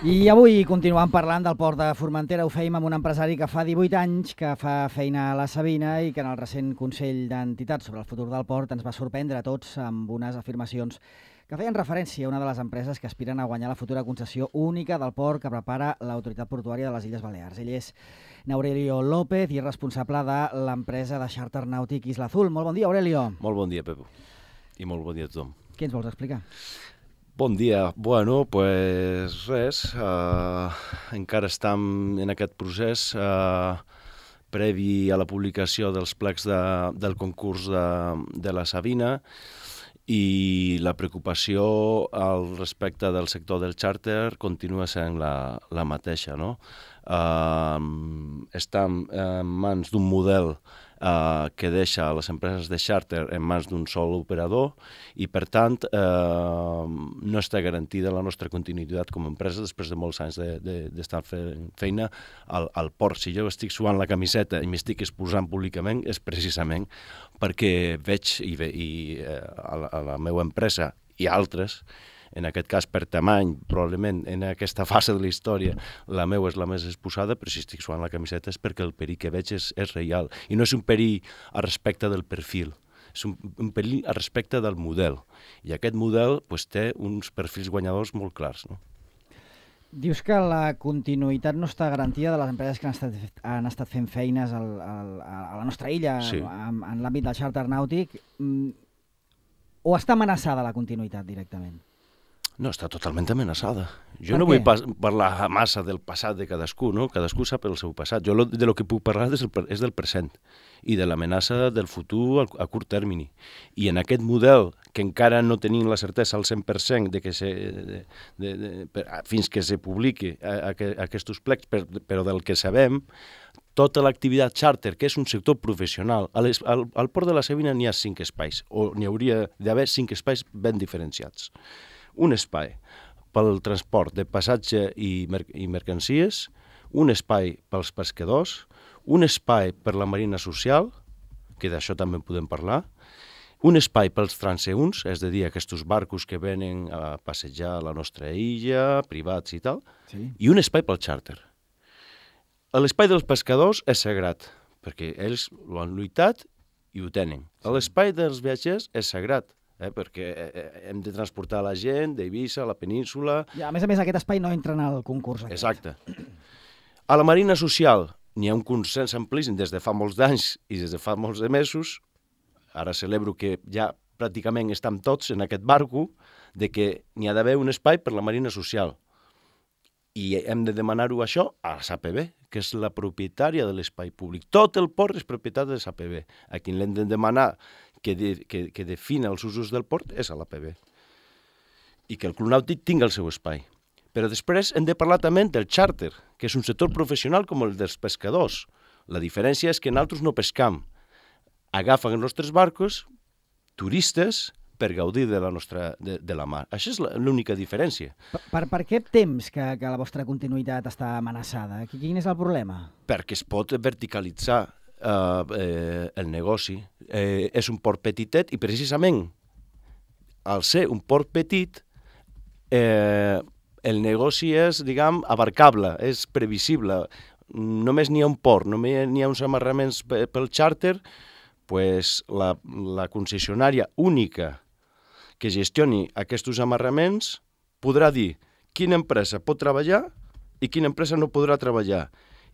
I avui continuem parlant del port de Formentera. Ho fèiem amb un empresari que fa 18 anys que fa feina a la Sabina i que en el recent Consell d'Entitats sobre el futur del port ens va sorprendre a tots amb unes afirmacions que feien referència a una de les empreses que aspiren a guanyar la futura concessió única del port que prepara l'Autoritat Portuària de les Illes Balears. Ell és Aurelio López i és responsable de l'empresa de xàrter nàutic Isla Azul. Molt bon dia, Aurelio. Molt bon dia, Pepo. I molt bon dia a tothom. Què ens vols explicar? Bon dia. Bueno, pues res, encara estem en aquest procés previ a la publicació dels plecs del concurs de la Sabina i la preocupació al respecte del sector del xàrter continua sent la mateixa, no? Estem en mans d'un model que deixa les empreses de xàrter en mans d'un sol operador i, per tant, no està garantida la nostra continuïtat com a empresa després de molts anys d'estar fent feina al port. Si jo estic suant la camiseta i m'estic exposant públicament és precisament perquè veig a la meva empresa i altres, en aquest cas per tamany, probablement en aquesta fase de la història, la meva és la més exposada, però si estic suant la camiseta és perquè el perill que veig és real. I no és un perill a respecte del perfil, és un perill a respecte del model. I aquest model té uns perfils guanyadors molt clars, no? Dius que la continuïtat no està garantida de les empreses que han estat fent feines a la nostra illa, sí, en l'àmbit del xàrter nàutic, o està amenaçada la continuïtat directament? No, està totalment amenaçada. Jo no vull parlar massa del passat de cadascú, no? Cadascú sap el seu passat. Jo de lo que puc parlar és del present i de l'amenaça del futur a curt termini. I en aquest model, que encara no tenim la certesa al 100% fins que se publiqui aquests plecs, però del que sabem, tota l'activitat xàrter, que és un sector professional, al port de la Sabina n'hi ha 5 espais, o n'hi hauria d'haver 5 espais ben diferenciats. Un espai pel transport de passatge i mercancies, un espai pels pescadors, un espai per la marina social, que d'això també en podem parlar, un espai pels transeünts, és a dir, aquests barcos que venen a passejar a la nostra illa, privats i tal, sí, i un espai pel xàrter. L'espai dels pescadors és sagrat, perquè ells ho han lluitat i ho tenen. L'espai dels viatgers és sagrat, perquè hem de transportar la gent d'Eivissa a la península. I a més, aquest espai no entra en el concurs. Exacte. A la marina social n'hi ha un consens amplíssim des de fa molts anys i des de fa molts mesos. Ara celebro que ja pràcticament estem tots en aquest barco de que n'hi ha d'haver un espai per la marina social. I hem de demanar-ho això a la SAPB, que és la propietària de l'espai públic. Tot el port és propietat de la SAPB. A qui l'hem de demanar que defina els usos del port és a l'APB. I que el Club Nàutic tingui el seu espai. Però després hem de parlar també del xàrter, que és un sector professional com el dels pescadors. La diferència és que nosaltres no pescam. Agafen els nostres barcos turistes per gaudir de la mar. Això és l'única diferència. Per què temps que la vostra continuïtat està amenaçada? Quin és el problema? Perquè es pot verticalitzar el negoci. És un port petitet i precisament al ser un port petit el negoci és, diguem, abarcable, és previsible. Només n'hi ha un port, només n'hi ha uns amarraments pel xàrter, doncs la concessionària única que gestioni aquests amarraments podrà dir quina empresa pot treballar i quina empresa no podrà treballar.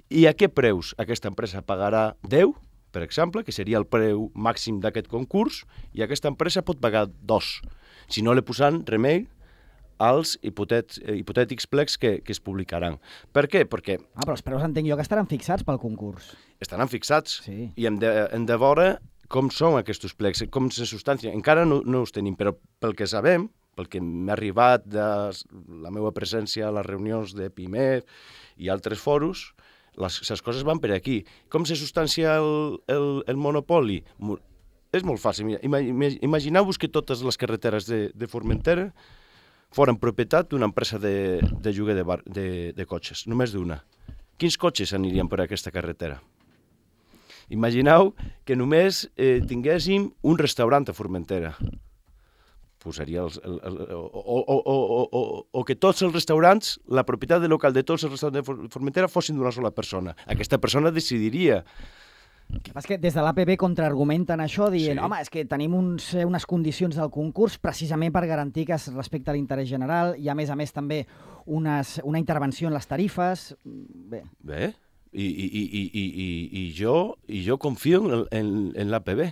I a què preus aquesta empresa pagarà 10, per exemple, que seria el preu màxim d'aquest concurs, i aquesta empresa pot pagar 2, si no li posaran remei als hipotètics plecs que es publicaran. Per què? Perquè... però els preus entenc jo que estaran fixats pel concurs. Estaran fixats, sí, i hem de veure com són aquests plecs, com se substancien. Encara no els tenim, però pel que sabem, pel que m'ha arribat de la meva presència a les reunions de PIMED i altres foros, les coses van per aquí. Com se substancia el monopoli? És molt fàcil. Imagineu-vos que totes les carreteres de Formentera foren propietat d'una empresa de lloguer de cotxes, només d'una. Quins cotxes anirien per aquesta carretera? Imagineu que només tinguéssim un restaurant a Formentera. posaria o que tots els restaurants, la propietat del local de tots els restaurants de Formentera fossin d'una sola persona. Aquesta persona decidiria. El que passa és que des de l'APB contraargumenten això dient, home, és que tenim unes condicions del concurs precisament per garantir que es respecta l'interès general, i a més també una intervenció en les tarifes. Bé, i jo confio en l'APB.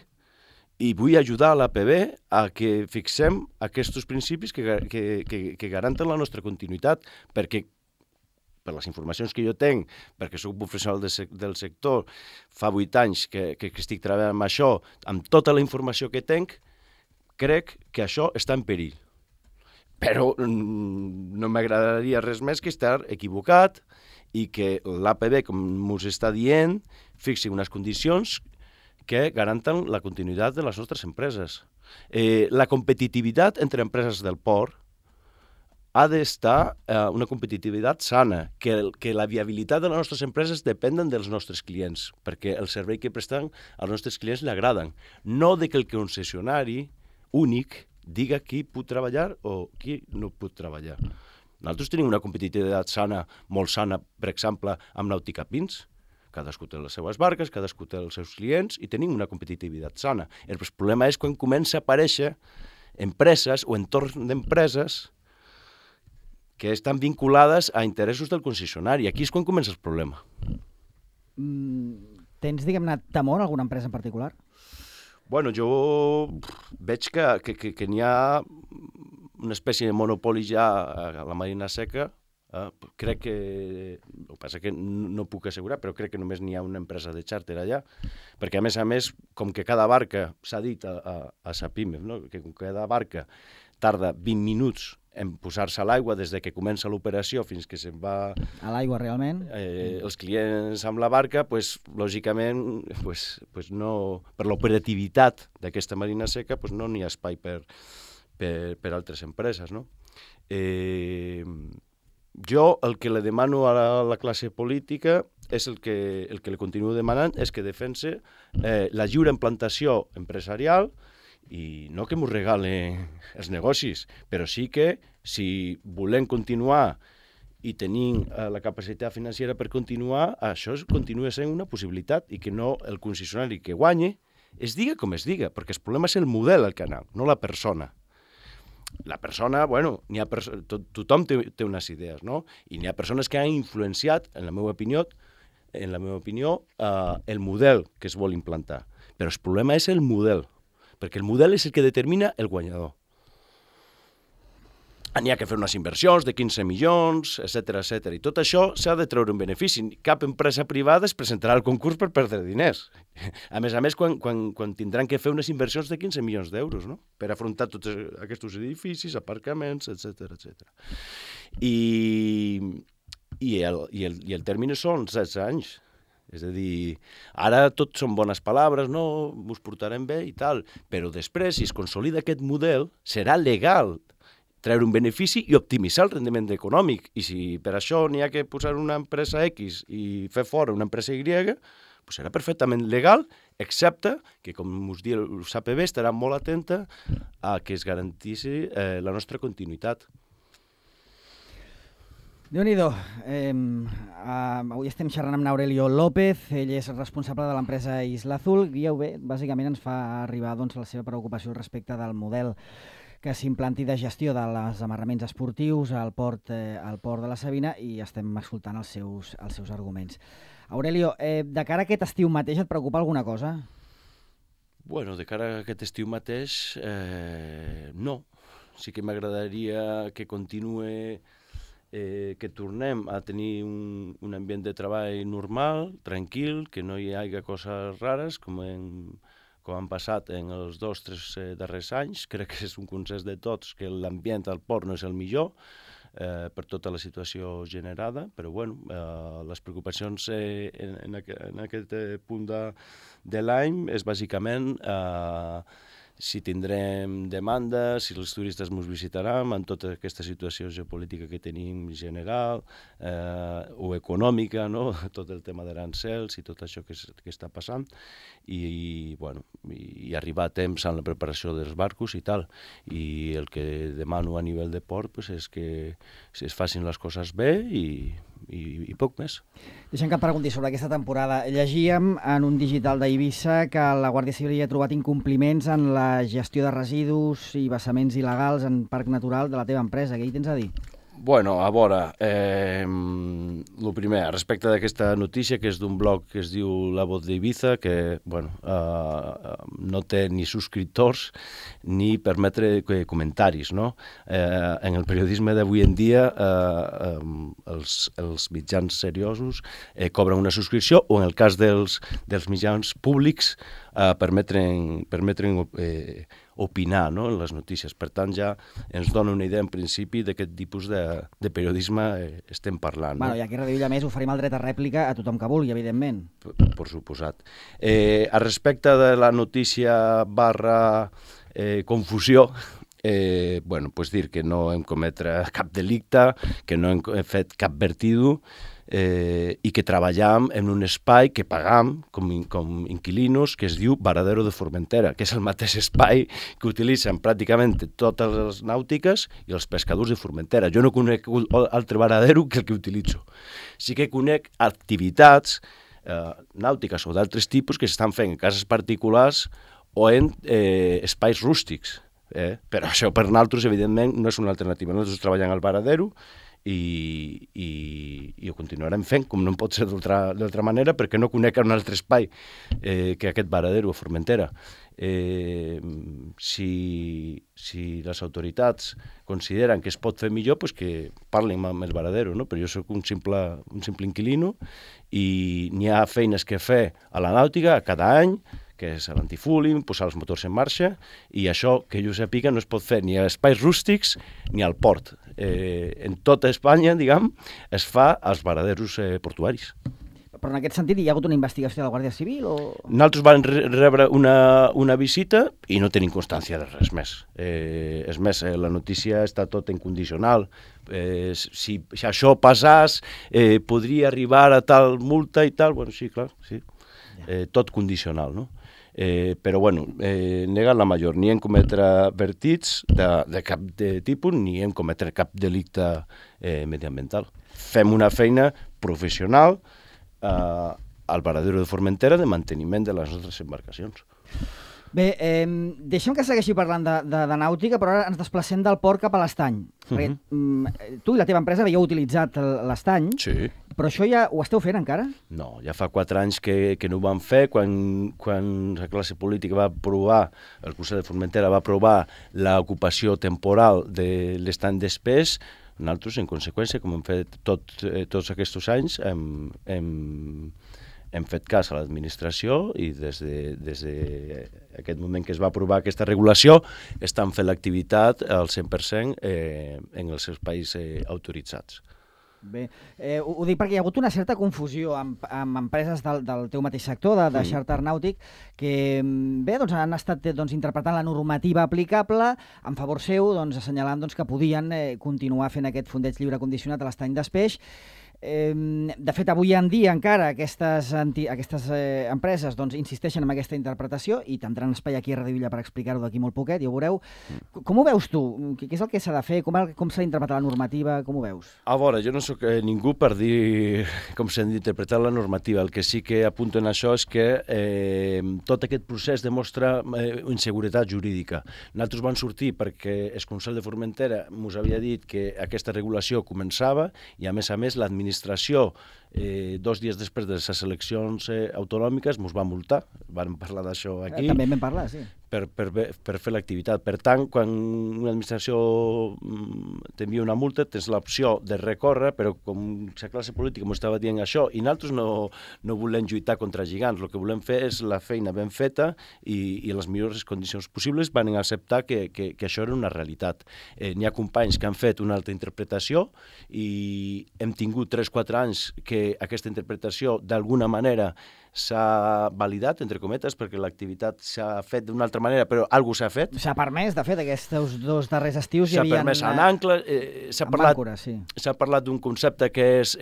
I vull ajudar a l'APB a que fixem aquests principis que garanten la nostra continuïtat, perquè per les informacions que jo tenc, perquè soc professional del sector, fa 8 anys que estic treballant amb això, amb tota la informació que tenc, crec que això està en perill. Però no m'agradaria res més que estar equivocat i que l'APB, com us està dient, fixi unes condicions que garanten la continuïtat de les nostres empreses. La competitivitat entre empreses del port ha d'estar una competitivitat sana, que la viabilitat de les nostres empreses depenen dels nostres clients, perquè el servei que presten als nostres clients li agraden. No de que el concessionari únic diga qui pot treballar o qui no pot treballar. Nosaltres tenim una competitivitat sana, molt sana, per exemple, amb Nàutica Pins. Cadascú té les seues barques, cadascú té els seus clients i tenim una competitivitat sana. El problema és quan comença a aparèixer empreses o entorns d'empreses que estan vinculades a interessos del concessionari. Aquí és quan comença el problema. Tens, diguem-ne, temor a alguna empresa en particular? Bueno, jo veig que n'hi ha una espècie de monopoli ja a la Marina Seca. Crec que, el que passa que no puc assegurar, però crec que només n'hi ha una empresa de xàrter allà, perquè a més, com que cada barca, s'ha dit a Sapimef, no? Que cada barca tarda 20 minuts en posar-se a l'aigua des de que comença l'operació fins que se'n va a l'aigua realment. Els clients amb la barca, lògicament, no, per l'operativitat d'aquesta Marina Seca, no n'hi ha espai per altres empreses, no? Jo el que le demano a la classe política és el que li continuo demanant, és que defense la lliure implantació empresarial i no que m'ho regalen els negocis, però sí que si volem continuar i tenim la capacitat financera per continuar, això continua sent una possibilitat i que no el concessionari que guanyi es diga com es diga, perquè el problema és el model al canal, no la persona. La persona, bueno, tothom té unes idees, no? I n'hi ha persones que han influenciat, en la meva opinió, el model que es vol implantar. Però el problema és el model, perquè el model és el que determina el guanyador. N'hi ha que fer unes inversions de 15 milions, etc. I tot això s'ha de treure un benefici. Cap empresa privada es presentarà al concurs per perdre diners. A més, quan tindran que fer unes inversions de 15 milions d'euros, no? Per afrontar tots aquests edificis, aparcaments, etc. I el termini són 16 anys. És a dir, ara tot són bones paraules, no? Ens portarem bé i tal, però després, si es consolida aquest model, serà legal treure un benefici i optimitzar el rendiment econòmic. I si per això n'hi ha que posar una empresa X i fer fora una empresa Y, serà perfectament legal, excepte que, com us diu l'APB, estarà molt atenta a que es garanteixi la nostra continuïtat. Déu-n'hi-do. Avui estem xerrant amb Aurelio López, ell és responsable de l'empresa Isla Azul, i bàsicament ens fa arribar la seva preocupació respecte del model que s'implanti de gestió dels amarraments esportius al port de la Sabina, i estem escoltant els seus arguments. Aurelio, de cara a aquest estiu mateix et preocupa alguna cosa? Bueno, de cara a aquest estiu mateix, no. Sí que m'agradaria que continuï, que tornem a tenir un ambient de treball normal, tranquil, que no hi hagi coses rares, com han passat en els 2 o 3 darrers anys. Crec que és un consens de tots que l'ambient al port no és el millor per tota la situació generada, però bueno, les preocupacions en aquest punt de l'any és bàsicament si tindrem demanda, si els turistes ens visitaran, en tota aquesta situació geopolítica que tenim general o econòmica, no? Tot el tema d'arancels i tot això que està passant, i arribar a temps en la preparació dels barcos i tal. I el que demano a nivell de port pues, és que es facin les coses bé i poc més. Deixa'm que em pregunti sobre aquesta temporada. Llegíem en un digital d'Eivissa que la Guàrdia Civil ha trobat incompliments en la gestió de residus i vessaments il·legals en parc natural de la teva empresa. Què hi tens a dir? Bueno, a veure, el primer, respecte d'aquesta notícia, que és d'un blog que es diu La Voz d'Ibiza, que no té ni subscriptors ni permetre comentaris, no? En el periodisme d'avui en dia, els mitjans seriosos cobren una subscripció, o en el cas dels mitjans públics permetren opinar, no?, en les notícies. Per tant, ja ens dona una idea en principi d'aquest tipus de periodisme estem parlant. Bueno, i aquí a Radio Illa Més oferim el dret a rèplica a tothom que vulgui, evidentment. Per suposat. A respecte de la notícia / confusió, pues dir que no hem cometre cap delicte, que no hem fet cap vertido, i que treballem en un espai que pagam com inquilinos, que es diu Varadero de Formentera, que és el mateix espai que utilitzen pràcticament totes les nàutiques i els pescadors de Formentera. Jo no conec altre varadero que el que utilitzo. Sí que conec activitats nàutiques o d'altres tipus que s'estan fent en cases particulars o en espais rústics. Però això per nosaltres, evidentment, no és una alternativa. Nosaltres treballem al varadero i ho continuarem fent, com no pot ser d'altra manera, perquè no conec un altre espai que aquest varadero a Formentera. Si les autoritats consideren que es pot fer millor, pues que parlin amb el varadero, no? Però jo soc un simple inquilino i n'hi ha feines que fer a la nàutica cada any, que és l'antifúling, posar els motors en marxa, i això, que jo sàpiga, no es pot fer ni a espais rústics ni al port. En tota Espanya, diguem, es fa als varaderos portuaris. Però en aquest sentit hi ha hagut una investigació de la Guàrdia Civil? Nosaltres vam rebre una visita i no tenim constància de res més. És més, la notícia està tot en condicional. Si això passàs, podria arribar a tal multa i tal. Bueno, sí, clar, sí. Tot condicional, no? Però, bueno, negant la major. Ni hem cometre vertits de cap tipus, ni hem cometre cap delicte mediambiental. Fem una feina professional al varadero de Formentera de manteniment de les nostres embarcacions. Bé, deixem que segueixi parlant de nàutica, però ara ens desplacem del port cap a l'estany. Tu i la teva empresa havíeu utilitzat l'estany, sí. Però això ja ho esteu fent encara? No, ja fa 4 anys que no ho vam fer, quan la classe política va aprovar, el Consell de Formentera va aprovar l'ocupació temporal de l'estany d'Espés. Nosaltres, en conseqüència, com hem fet tots aquests anys, hem fet cas a l'administració i des d'aquest moment que es va aprovar aquesta regulació estan fent l'activitat al 100% en els espais autoritzats. Bé, ho dic perquè hi ha hagut una certa confusió amb empreses del teu mateix sector, de xàrter nàutic, que bé, doncs, han estat interpretant la normativa aplicable en favor seu, assenyalant que podien continuar fent aquest fondeig lliure condicionat a l'estany d'Espeix. De fet, avui en dia encara aquestes empreses insisteixen en aquesta interpretació i tindran espai aquí a Radio Illa per explicar-ho d'aquí molt poquet, ja ho veureu. Com ho veus tu? Què és el que s'ha de fer? Com s'ha d'interpretar la normativa? Com ho veus? A veure, jo no sóc ningú per dir com s'ha d'interpretar la normativa. El que sí que apunto en això és que tot aquest procés demostra inseguretat jurídica. Nosaltres vam sortir perquè el Consell de Formentera ens havia dit que aquesta regulació començava i, a més, l'administració 2 dies després de les eleccions autonòmiques ens va multar. Vam parlar d'això aquí. També vam parlar, sí. Per fer l'activitat. Per tant, quan una administració t'envia una multa, tens l'opció de recórrer, però com la classe política m'ho estava dient això, i nosaltres no volem lluitar contra gegants. El que volem fer és la feina ben feta i les millors condicions possibles. Van acceptar que això era una realitat. N'hi ha companys que han fet una altra interpretació i hem tingut 3-4 anys que aquesta interpretació d'alguna manera s'ha validat, entre cometes, perquè l'activitat s'ha fet d'una altra altra manera, però alguna s'ha fet. S'ha permès, de fet, aquests 2 darrers estius hi S'ha havia... permès en ancla, s'ha parlat d'un concepte que és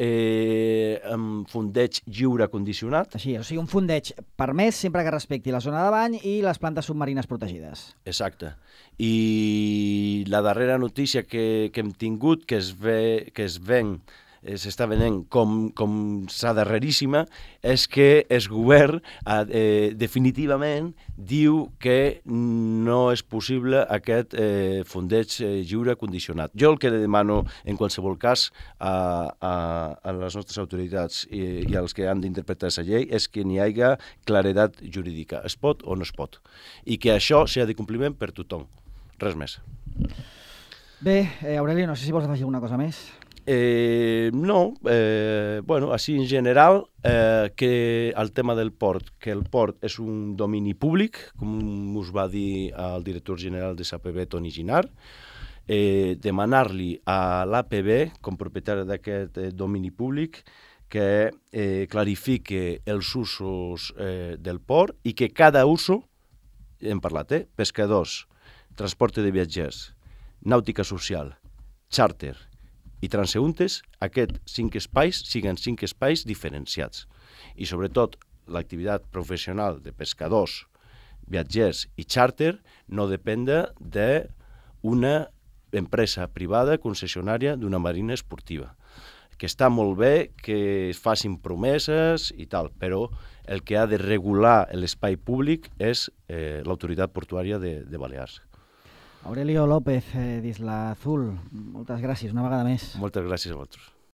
fondeig lliure condicionat. Així, o sigui, un fondeig permès sempre que respecti la zona de bany i les plantes submarines protegides. Exacte. I la darrera notícia que hem tingut, que s'està venent com sa darreríssima, és que el govern definitivament diu que no és possible aquest fondeig lliure condicionat. Jo el que demano, en qualsevol cas, a les nostres autoritats i als que han d'interpretar aquesta llei és que n'hi hagi claredat jurídica. Es pot o no es pot. I que això sigui de compliment per tothom. Res més. Bé, Aurelio, no sé si vols afegir alguna cosa més. No, bueno, així en general, que el tema del port, que el port és un domini públic, com us va dir el director general de l'APB, Toni Ginard, demanar-li a l'APB, com propietari d'aquest domini públic, que clarifique els usos del port i que cada uso, hem parlat, pescadors, transport de viatgers, nàutica social, xàrter i transeuntes, aquests 5 espais siguin 5 espais diferenciats. I sobretot l'activitat professional de pescadors, viatgers i xàrter no depèn d'una empresa privada concessionària d'una marina esportiva. Que està molt bé que es facin promeses i tal, però el que ha de regular l'espai públic és l'autoritat portuària de Balears. Aurelio López, d'Isla Azul, moltes gràcies una vegada més. Moltes gràcies a vosaltres.